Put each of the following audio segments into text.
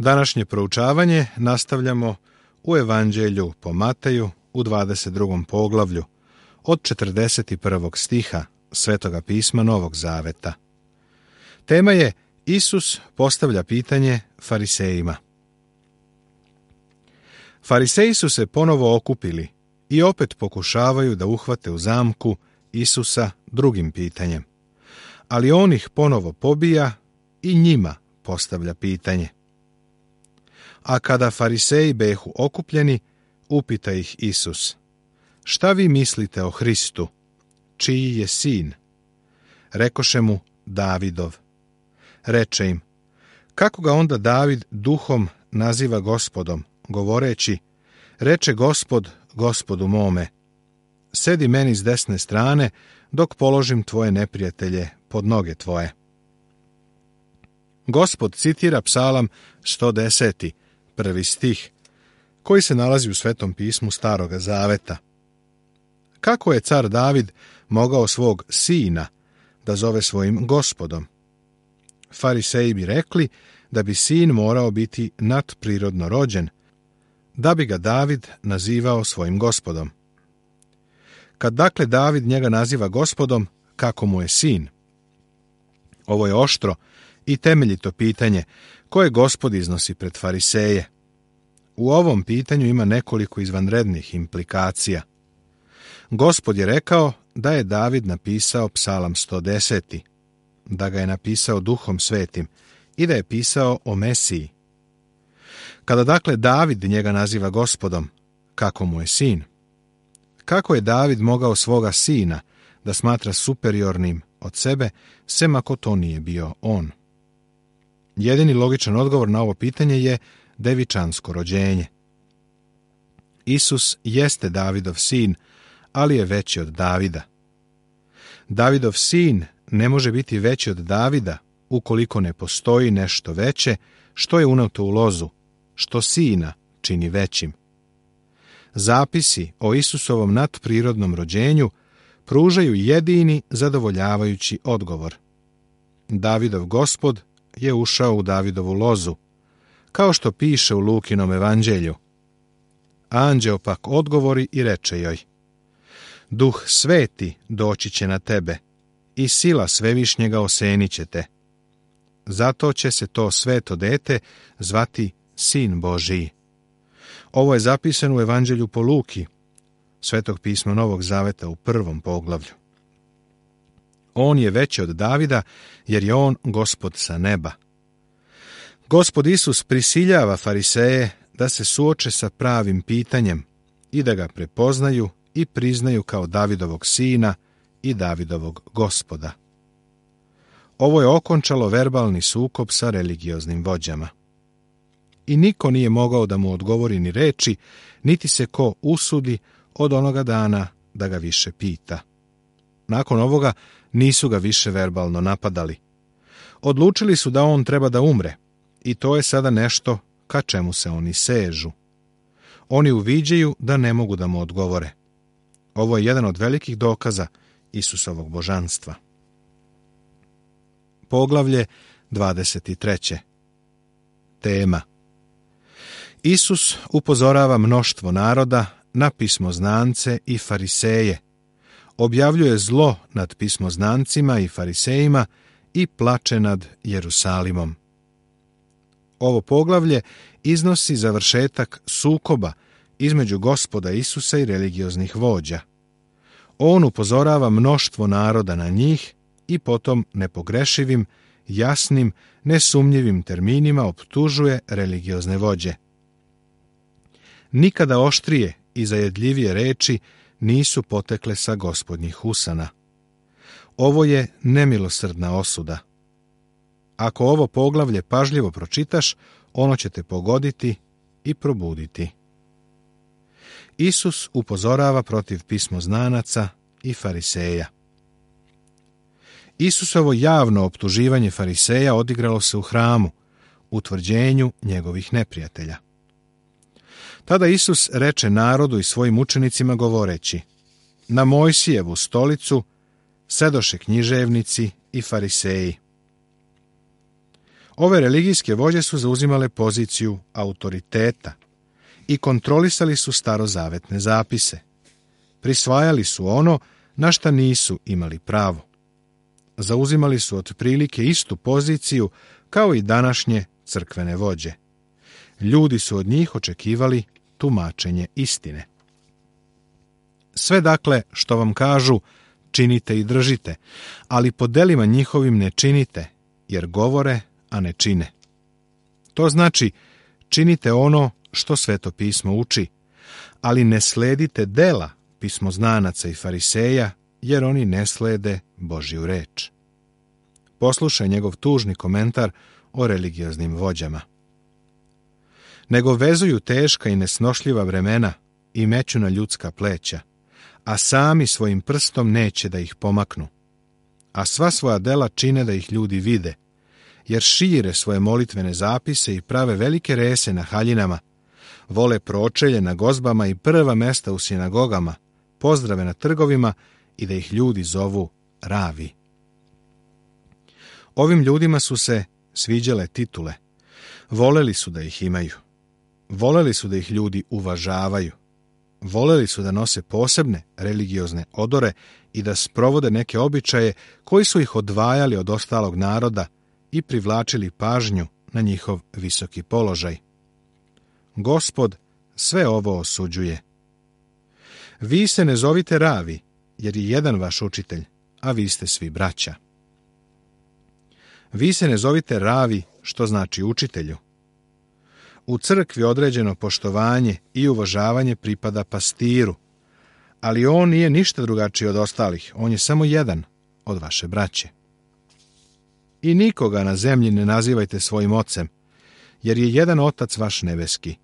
Današnje proučavanje nastavljamo u Evanđelju po Mateju u 22. poglavlju od 41. stiha Svetoga pisma Novog Zaveta. Tema je Isus postavlja pitanje farisejima. Fariseji su se ponovo okupili i opet pokušavaju da uhvate u zamku Isusa drugim pitanjem, ali on ih ponovo pobija i njima postavlja pitanje. A kada fariseji behu okupljeni, upita ih Isus: šta vi mislite o Hristu? Čiji je sin? Rekoše mu: Davidov. Reče im: kako ga onda David duhom naziva Gospodom, govoreći: reče Gospod Gospodu mome, sedi meni s desne strane, dok položim tvoje neprijatelje pod noge tvoje. Gospod citira Psalam 110. 1. stih, koji se nalazi u Svetom pismu Staroga Zaveta. Kako je car David mogao svog sina da zove svojim Gospodom? Fariseji bi rekli da bi sin morao biti nadprirodno rođen, da bi ga David nazivao svojim Gospodom. Kad dakle David njega naziva Gospodom, kako mu je sin? Ovo je oštro i temeljito pitanje koje Gospod iznosi pred fariseje. U ovom pitanju ima nekoliko izvanrednih implikacija. Gospod je rekao da je David napisao Psalam 110. Da ga je napisao Duhom Svetim i da je pisao o Mesiji. Kada dakle David njega naziva Gospodom, kako mu je sin? Kako je David mogao svoga sina da smatra superiornim od sebe, sem ako to nije bio on? Jedini logičan odgovor na ovo pitanje je devičansko rođenje. Isus jeste Davidov sin, ali je veći od Davida. Davidov sin ne može biti veći od Davida ukoliko ne postoji nešto veće što je uneto u lozu, što sina čini većim. Zapisi o Isusovom nadprirodnom rođenju pružaju jedini zadovoljavajući odgovor. Davidov Gospod je ušao u Davidovu lozu, kao što piše u Lukinom evanđelju. Anđeo pak odgovori i reče joj: Duh Sveti doći će na tebe i sila Svevišnjega osenit će te. Zato će se to sveto dete zvati Sin Božiji. Ovo je zapisano u Evanđelju po Luki, Svetog pisma Novog Zaveta u 1. poglavlju. On je veći od Davida, jer je on Gospod sa neba. Gospod Isus prisiljava fariseje da se suoče sa pravim pitanjem i da ga prepoznaju i priznaju kao Davidovog sina i Davidovog Gospoda. Ovo je okončalo verbalni sukob sa religioznim vođama. I niko nije mogao da mu odgovori ni reči, niti se ko usudi od onoga dana da ga više pita. Nakon ovoga nisu ga više verbalno napadali. Odlučili su da on treba da umre, i to je sada nešto ka čemu se oni sežu. Oni uviđaju da ne mogu da mu odgovore. Ovo je jedan od velikih dokaza Isusovog božanstva. Poglavlje 23. Tema: Isus upozorava mnoštvo naroda na pismoznance i fariseje, objavljuje zlo nad pismoznancima i farisejima i plače nad Jerusalimom. Ovo poglavlje iznosi završetak sukoba između Gospoda Isusa i religioznih vođa. On upozorava mnoštvo naroda na njih i potom nepogrešivim, jasnim, nesumnjivim terminima optužuje religiozne vođe. Nikada oštrije i zajedljivije reči nisu potekle sa Gospodnjih usana. Ovo je nemilosrdna osuda. Ako ovo poglavlje pažljivo pročitaš, ono će te pogoditi i probuditi. Isus upozorava protiv pismoznanaca i fariseja. Isusovo javno optuživanje fariseja odigralo se u hramu, u tvrđenju njegovih neprijatelja. Tada Isus reče narodu i svojim učenicima govoreći: na Mojsijevu stolicu sedoše književnici i fariseji. Ove religijske vođe su zauzimale poziciju autoriteta i kontrolisali su starozavetne zapise. Prisvajali su ono na šta nisu imali pravo. Zauzimali su otprilike istu poziciju kao i današnje crkvene vođe. Ljudi su od njih očekivali tumačenje istine. Sve dakle što vam kažu, činite i držite, ali po delima njihovim ne činite, jer govore, a ne čine. To znači, činite ono što Sveto pismo uči, ali ne sledite dela pismoznanaca i fariseja, jer oni ne slede Božju reč. Poslušaj njegov tužni komentar o religioznim vođama. Nego vezuju teška i nesnošljiva vremena i meću na ljudska pleća, a sami svojim prstom neće da ih pomaknu. A sva svoja dela čine da ih ljudi vide, jer šire svoje molitvene zapise i prave velike rese na haljinama, vole pročelje na gozbama i prva mesta u sinagogama, pozdrave na trgovima i da ih ljudi zovu ravi. Ovim ljudima su se sviđale titule, voleli su da ih imaju, voleli su da ih ljudi uvažavaju, voleli su da nose posebne religiozne odore i da sprovode neke običaje koji su ih odvajali od ostalog naroda i privlačili pažnju na njihov visoki položaj. Gospod sve ovo osuđuje. Vi se ne zovite ravi, jer je jedan vaš učitelj, a vi ste svi braća. Vi se ne zovite ravi, što znači učitelju. U crkvi određeno poštovanje i uvažavanje pripada pastiru, ali on nije ništa drugačiji od ostalih, on je samo jedan od vaše braće. I nikoga na zemlji ne nazivajte svojim ocem, jer je jedan otac vaš nebeski.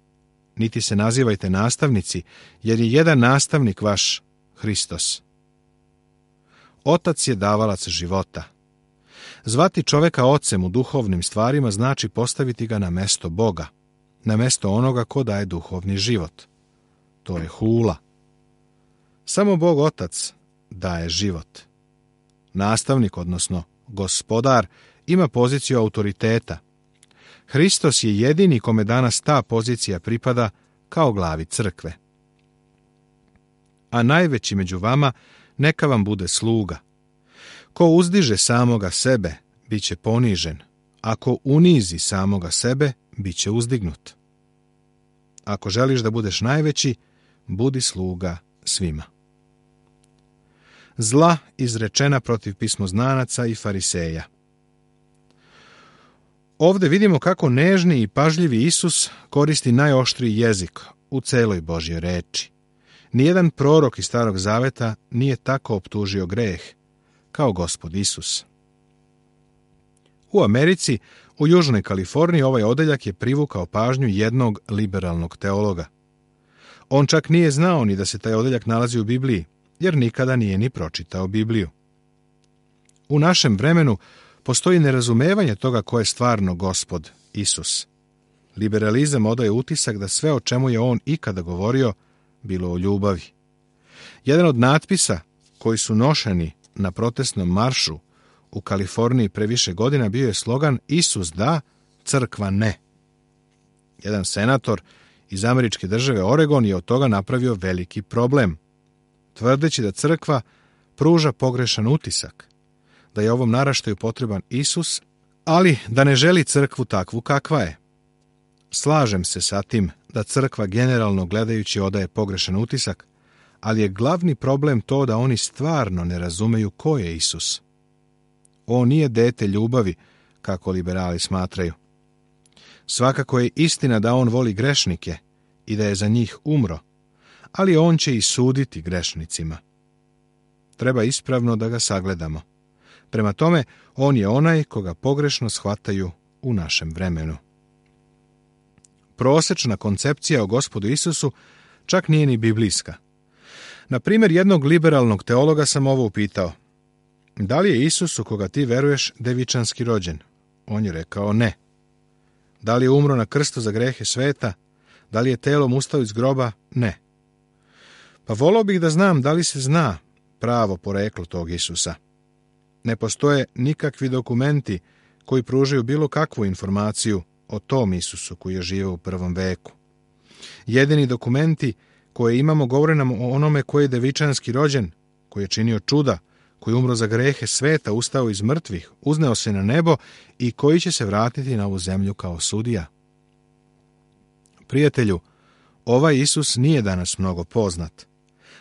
Niti se nazivajte nastavnici, jer je jedan nastavnik vaš, Hristos. Otac je davalac života. Zvati čoveka ocem u duhovnim stvarima znači postaviti ga na mesto Boga, na mesto onoga ko daje duhovni život. To je hula. Samo Bog Otac daje život. Nastavnik, odnosno gospodar, ima poziciju autoriteta. Hristos je jedini kome danas ta pozicija pripada kao glavi crkve. A najveći među vama neka vam bude sluga. Ko uzdiže samoga sebe, bit će ponižen. Ako unizi samoga sebe, bit će uzdignut. Ako želiš da budeš najveći, budi sluga svima. Zla izrečena protiv pismoznanaca i fariseja. Ovdje vidimo kako nežni i pažljivi Isus koristi najoštriji jezik u celoj Božjoj reči. Nijedan prorok iz Starog Zaveta nije tako optužio greh kao Gospod Isus. U Americi, u Južnoj Kaliforniji, ovaj odeljak je privukao pažnju jednog liberalnog teologa. On čak nije znao ni da se taj odeljak nalazi u Bibliji, jer nikada nije ni pročitao Bibliju. U našem vremenu postoji nerazumevanje toga ko je stvarno Gospod Isus. Liberalizam odaje utisak da sve o čemu je on ikada govorio bilo o ljubavi. Jedan od natpisa koji su nošeni na protestnom maršu u Kaliforniji pre više godina bio je slogan Isus da, crkva ne. Jedan senator iz američke države Oregon je od toga napravio veliki problem, tvrdeći da crkva pruža pogrešan utisak, da je ovom naraštaju potreban Isus, ali da ne želi crkvu takvu kakva je. Slažem se sa tim da crkva generalno gledajući odaje pogrešan utisak, ali je glavni problem to da oni stvarno ne razumeju ko je Isus. On nije dete ljubavi, kako liberali smatraju. Svakako je istina da on voli grešnike i da je za njih umro, ali on će i suditi grešnicima. Treba ispravno da ga sagledamo. Prema tome, on je onaj koga pogrešno shvataju u našem vremenu. Prosečna koncepcija o Gospodu Isusu čak nije ni biblijska. Na primjer, jednog liberalnog teologa sam ovo upitao. Da li je Isus u koga ti veruješ devičanski rođen? On je rekao ne. Da li je umro na krstu za grehe sveta? Da li je telom ustao iz groba? Ne. Pa volao bih da znam da li se zna pravo poreklo tog Isusa. Ne postoje nikakvi dokumenti koji pružaju bilo kakvu informaciju o tom Isusu koji je živio u prvom veku. Jedini dokumenti koje imamo govore nam o onome koji je devičanski rođen, koji je činio čuda, koji je umro za grehe sveta, ustao iz mrtvih, uzneo se na nebo i koji će se vratiti na ovu zemlju kao sudija. Prijatelju, ovaj Isus nije danas mnogo poznat,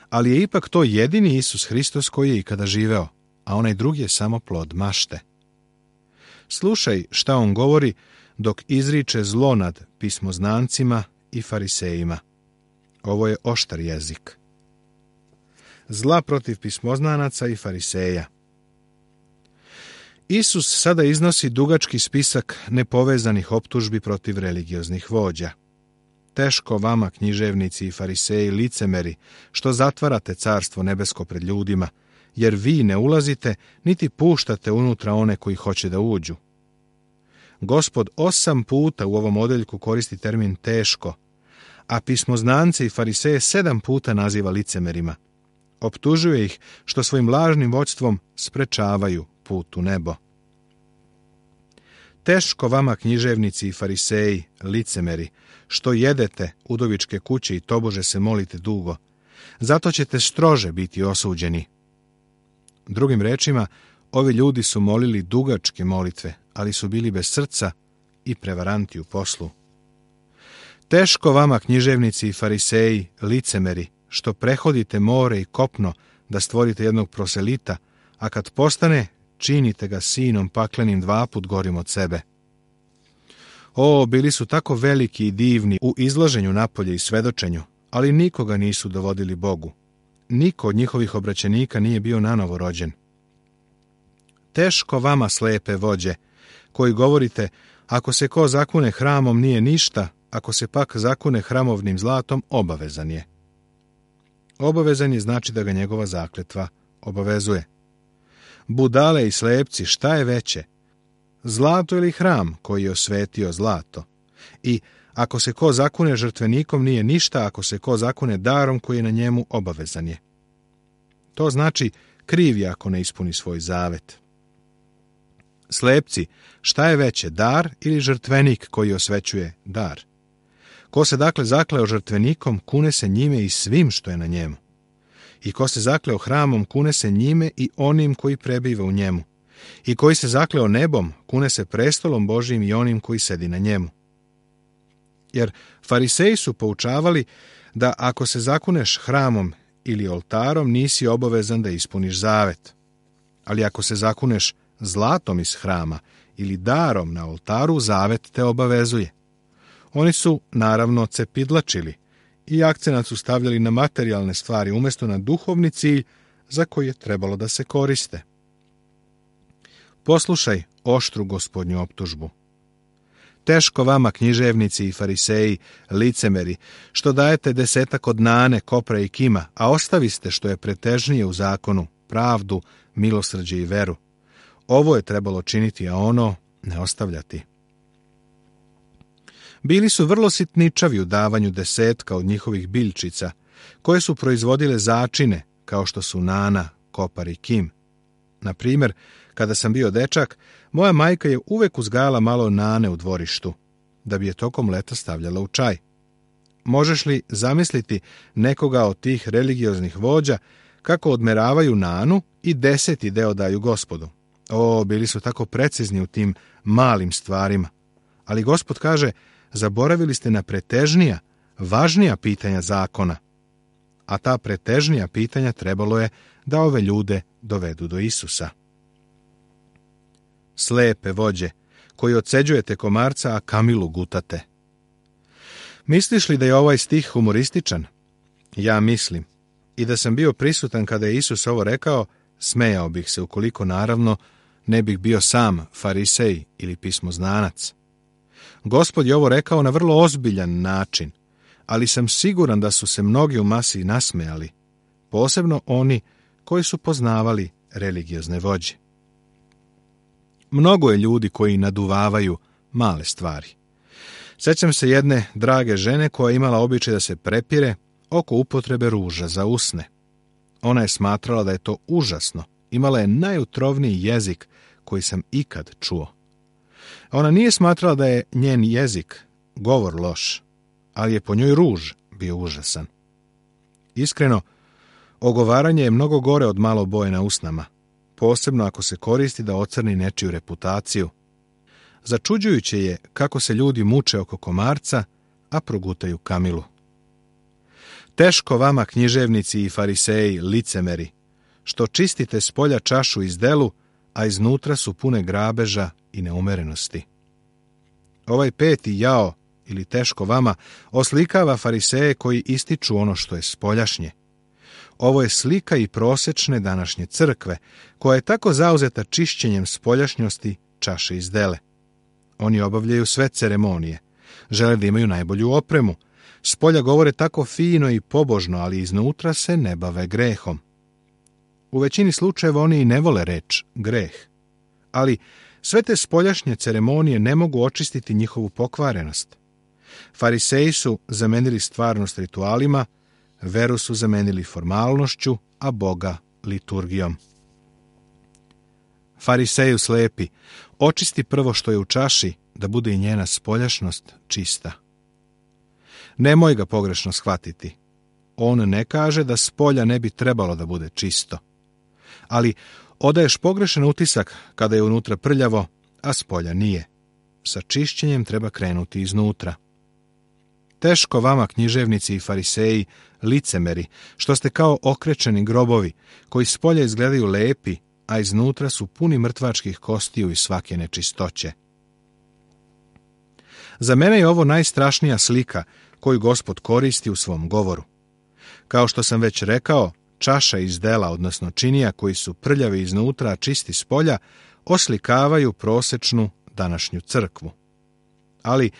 ali je ipak to jedini Isus Hristos koji je ikada živeo, a onaj drugi je samo plod mašte. Slušaj šta on govori dok izriče zlo nad pismoznancima i farisejima. Ovo je oštar jezik. Zla protiv pismoznanaca i fariseja. Isus sada iznosi dugački spisak nepovezanih optužbi protiv religioznih vođa. Teško vama, književnici i fariseji, licemeri, što zatvarate carstvo nebesko pred ljudima, jer vi ne ulazite, niti puštate unutra one koji hoće da uđu. Gospod 8 puta u ovom odeljku koristi termin teško, a pismoznance i fariseje 7 puta naziva licemerima. Optužuje ih što svojim lažnim vođstvom sprečavaju put u nebo. Teško vama, književnici i fariseji, licemeri, što jedete udovičke kuće i tobože se molite dugo, zato ćete strože biti osuđeni. Drugim rečima, ovi ljudi su molili dugačke molitve, ali su bili bez srca i prevaranti u poslu. Teško vama, književnici i fariseji, licemeri, što prehodite more i kopno da stvorite jednog proselita, a kad postane, činite ga sinom paklenim 2 put gorim od sebe. O, bili su tako veliki i divni u izlaženju napolje i svedočenju, ali nikoga nisu dovodili Bogu. Niko od njihovih obraćenika nije bio nanovo rođen. Teško vama, slepe vođe, koji govorite, ako se ko zakune hramom nije ništa, ako se pak zakune hramovnim zlatom, obavezan je. Obavezan je znači da ga njegova zakletva obavezuje. Budale i slepci, šta je veće? Zlato ili hram koji je osvetio zlato? I ako se ko zakune žrtvenikom nije ništa, ako se ko zakune darom koji je na njemu, obavezan je. To znači kriv je ako ne ispuni svoj zavet. Slepci, šta je veće, dar ili žrtvenik koji osvećuje dar? Ko se dakle zakleo žrtvenikom, kune se njime i svim što je na njemu. I ko se zakleo hramom, kune se njime i onim koji prebiva u njemu. I koji se zakleo nebom, kune se prestolom Božijim i onim koji sedi na njemu. Jer fariseji su poučavali da ako se zakuneš hramom ili oltarom, nisi obavezan da ispuniš zavet. Ali ako se zakuneš zlatom iz hrama ili darom na oltaru, zavet te obavezuje. Oni su, naravno, cepidlačili i akcenat su stavljali na materijalne stvari umjesto na duhovni cilj za koji je trebalo da se koriste. Poslušaj oštru Gospodnju optužbu. Teško vama, književnici i fariseji, licemeri, što dajete 10 od nane, kopra i kima, a ostaviste što je pretežnije u zakonu, pravdu, milosrđe i veru. Ovo je trebalo činiti, a ono ne ostavljati. Bili su vrlo sitničavi u davanju 10 od njihovih biljčica, koje su proizvodile začine, kao što su nana, kopar i kim. Na primjer, kada sam bio dečak, moja majka je uvek uzgajala malo nane u dvorištu, da bi je tokom leta stavljala u čaj. Možeš li zamisliti nekoga od tih religioznih vođa kako odmeravaju nanu i 10. deo daju Gospodu? O, bili su tako precizni u tim malim stvarima. Ali Gospod kaže, zaboravili ste na pretežnija, važnija pitanja zakona. A ta pretežnija pitanja trebalo je da ove ljude dovedu do Isusa. Slepe vođe, koji odseđujete komarca, a kamilu gutate. Misliš li da je ovaj stih humorističan? Ja mislim. I da sam bio prisutan kada je Isus ovo rekao, smejao bih se, ukoliko naravno ne bih bio sam farisej ili pismoznanac. Gospod je ovo rekao na vrlo ozbiljan način, ali sam siguran da su se mnogi u masi nasmejali, posebno oni koji su poznavali religiozne vođe. Mnogo je ljudi koji naduvavaju male stvari. Sjećam se jedne drage žene koja je imala običaj da se prepire oko upotrebe ruža za usne. Ona je smatrala da je to užasno. Imala je najutrovniji jezik koji sam ikad čuo. Ona nije smatrala da je njen jezik, govor loš, ali je po njoj ruž bio užasan. Iskreno, ogovaranje je mnogo gore od malo boje na usnama, posebno ako se koristi da ocrni nečiju reputaciju. Začuđujuće je kako se ljudi muče oko komarca, a progutaju kamilu. Teško vama, književnici i fariseji, licemeri, što čistite s polja čašu iz delu, a iznutra su pune grabeža i neumerenosti. Ovaj peti jao, ili teško vama, oslikava fariseje koji ističu ono što je spoljašnje. Ovo je slika i prosečne današnje crkve, koja je tako zauzeta čišćenjem spoljašnjosti čaše iz dele. Oni obavljaju sve ceremonije, žele da imaju najbolju opremu, spolja govore tako fino i pobožno, ali iznutra se ne bave grehom. U većini slučajeva oni i ne vole reč greh, ali sve te spoljašnje ceremonije ne mogu očistiti njihovu pokvarenost. Fariseji su zamenili stvarnost ritualima, veru su zamenili formalnošću, a Boga liturgijom. Fariseju slepi, očisti prvo što je u čaši, da bude i njena spoljašnost čista. Nemoj ga pogrešno shvatiti. On ne kaže da spolja ne bi trebalo da bude čisto. Ali odaješ pogrešan utisak kada je unutra prljavo, a spolja nije. Sa čišćenjem treba krenuti iznutra. Teško vama, književnici i fariseji, licemeri, što ste kao okrečeni grobovi, koji spolja izgledaju lepi, a iznutra su puni mrtvačkih kostiju i svake nečistoće. Za mene je ovo najstrašnija slika koju Gospod koristi u svom govoru. Kao što sam već rekao, čaša iz dela, odnosno činija koji su prljavi iznutra, a čisti spolja, oslikavaju prosečnu današnju crkvu. Ali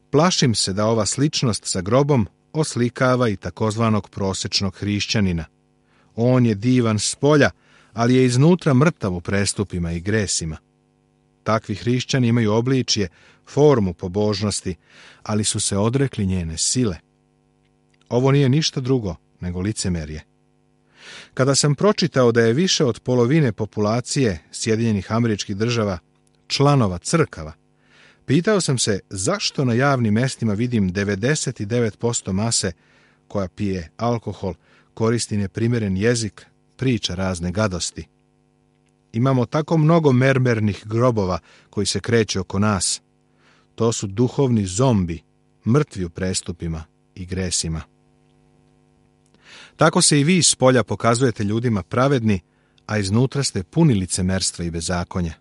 plašim se da ova sličnost sa grobom oslikava i takozvanog prosečnog hrišćanina. On je divan spolja, ali je iznutra mrtav u prestupima i gresima. Takvi hrišćani imaju obličje, formu pobožnosti, ali su se odrekli njene sile. Ovo nije ništa drugo nego licemerje. Kada sam pročitao da je više od polovine populacije Sjedinjenih Američkih Država članova crkava, pitao sam se zašto na javnim mestima vidim 99% mase koja pije alkohol, koristi neprimeren jezik, priča razne gadosti. Imamo tako mnogo mermernih grobova koji se kreću oko nas. To su duhovni zombi, mrtvi u prestupima i gresima. Tako se i vi iz polja pokazujete ljudima pravedni, a iznutra ste puni licemerstva i bezakonja.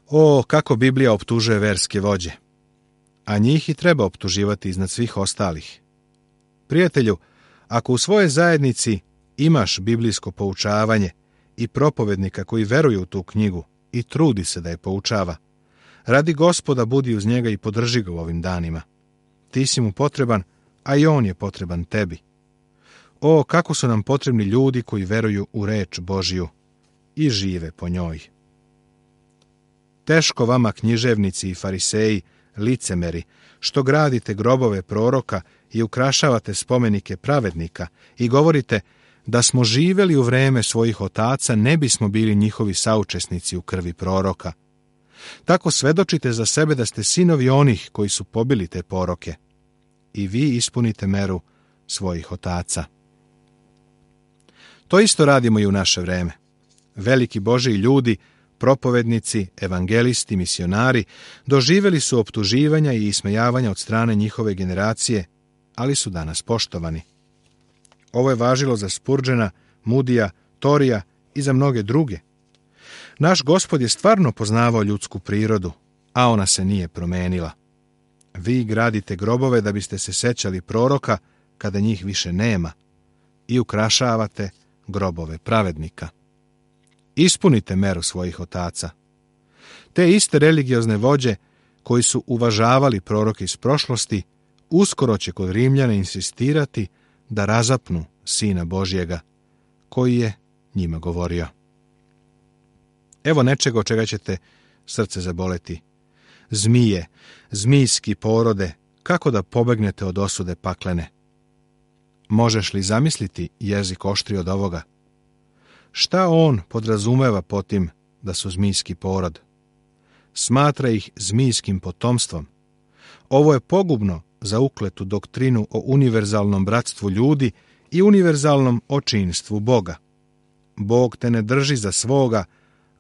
O, kako Biblija optužuje verske vođe! A njih i treba optuživati iznad svih ostalih. Prijatelju, ako u svojoj zajednici imaš biblijsko poučavanje i propovednika koji veruje u tu knjigu i trudi se da je poučava, radi Gospoda budi uz njega i podrži ga u ovim danima. Ti si mu potreban, a i on je potreban tebi. O, kako su nam potrebni ljudi koji veruju u reč Božiju i žive po njoj. Teško vama, književnici i fariseji, licemeri, što gradite grobove proroka i ukrašavate spomenike pravednika i govorite da smo živeli u vreme svojih otaca, ne bismo bili njihovi saučesnici u krvi proroka. Tako svedočite za sebe da ste sinovi onih koji su pobili te poroke. I vi ispunite meru svojih otaca. To isto radimo i u naše vreme. Veliki Božiji ljudi, propovednici, evangelisti, misionari, doživjeli su optuživanja i ismejavanja od strane njihove generacije, ali su danas poštovani. Ovo je važilo za Spurgeona, Moodija, Torija i za mnoge druge. Naš Gospod je stvarno poznavao ljudsku prirodu, a ona se nije promenila. Vi gradite grobove da biste se sećali proroka kada njih više nema i ukrašavate grobove pravednika. Ispunite meru svojih otaca. Te iste religiozne vođe koji su uvažavali proroke iz prošlosti, uskoro će kod Rimljana insistirati da razapnu Sina Božjega, koji je njima govorio. Evo nečega od čega ćete srce zaboleti. Zmije, zmijski porode, kako da pobegnete od osude paklene. Možeš li zamisliti jezik oštri od ovoga? Šta on podrazumeva po tim da su zmijski porod? smatra ih zmijskim potomstvom. Ovo je pogubno za ukletu doktrinu o univerzalnom bratstvu ljudi i univerzalnom očinstvu Boga. Bog te ne drži za svoga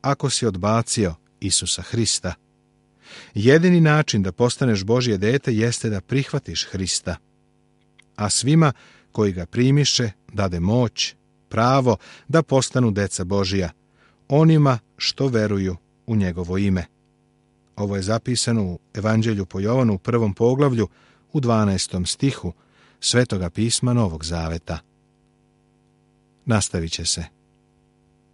ako si odbacio Isusa Hrista. Jedini način da postaneš Božje dete jeste da prihvatiš Hrista, a svima koji ga primiše dade moć, pravo da postanu deca Božija, onima što veruju u njegovo ime. Ovo je zapisano u Evanđelju po Jovanu u 1. poglavlju u 12. stihu Svetoga pisma Novog Zaveta. Nastavit će se